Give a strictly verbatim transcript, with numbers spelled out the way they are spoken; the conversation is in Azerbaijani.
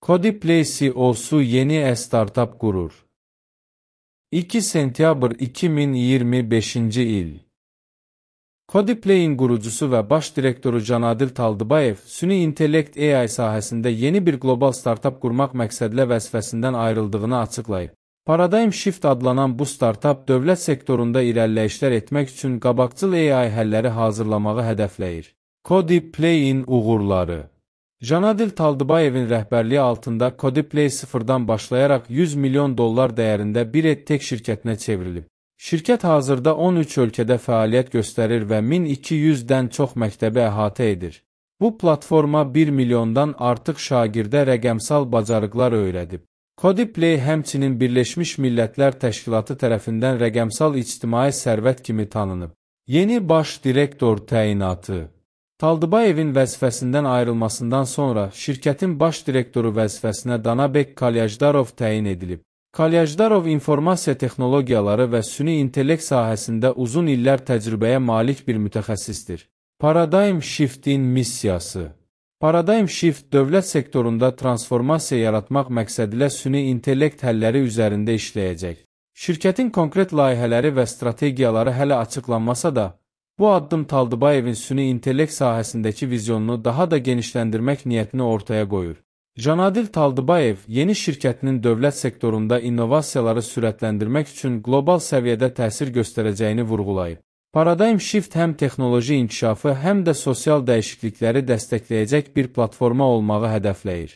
Codiplay C E O'su yeni e-startup qurur. iki sentyabr iki min iyirmi beşinci il. Codiplay'in qurucusu və baş direktoru Canadil Taldıbayev, süni intellekt A I sahəsində yeni bir qlobal startup qurmaq məqsədlə vəzifəsindən ayrıldığını açıqlayıb. Paradigm Shift adlanan bu startup dövlət sektorunda irəliləyişlər etmək üçün qabaqcıl A I həlləri hazırlamağı hədəfləyir. Codiplay'in uğurları. Canadil Taldıbayevin rəhbərliyi altında Codiplay sıfırdan başlayaraq yüz milyon dollar dəyərində bir edtech şirkətinə çevrilib. Şirkət hazırda on üç ölkədə fəaliyyət göstərir və min iki yüzdən çox məktəbi əhatə edir. Bu platforma bir milyondan artıq şagirdə rəqəmsal bacarıqlar öyrədib. Codiplay həmçinin Birləşmiş Millətlər Təşkilatı tərəfindən rəqəmsal ictimai sərvət kimi tanınıb. Yeni baş direktor təyinatı. Taldıbayevin vəzifəsindən ayrılmasından sonra şirkətin baş direktoru vəzifəsinə Danabek Kalyajdarov təyin edilib. Kalyajdarov informasiya texnologiyaları və süni intellekt sahəsində uzun illər təcrübəyə malik bir mütəxəssisdir. Paradigm Shift-in missiyası. Paradigm Shift dövlət sektorunda transformasiya yaratmaq məqsədilə süni intellekt həlləri üzərində işləyəcək. Şirkətin konkret layihələri və strategiyaları hələ açıqlanmasa da, bu addım Taldıbayevin süni intellekt sahəsindəki vizyonunu daha da genişləndirmək niyyətini ortaya qoyur. Canadil Taldıbayev yeni şirkətinin dövlət sektorunda innovasiyaları sürətləndirmək üçün qlobal səviyyədə təsir göstərəcəyini vurğulayıb. Paradigm Shift həm texnoloji inkişafı, həm də sosial dəyişiklikləri dəstəkləyəcək bir platforma olmağı hədəfləyir.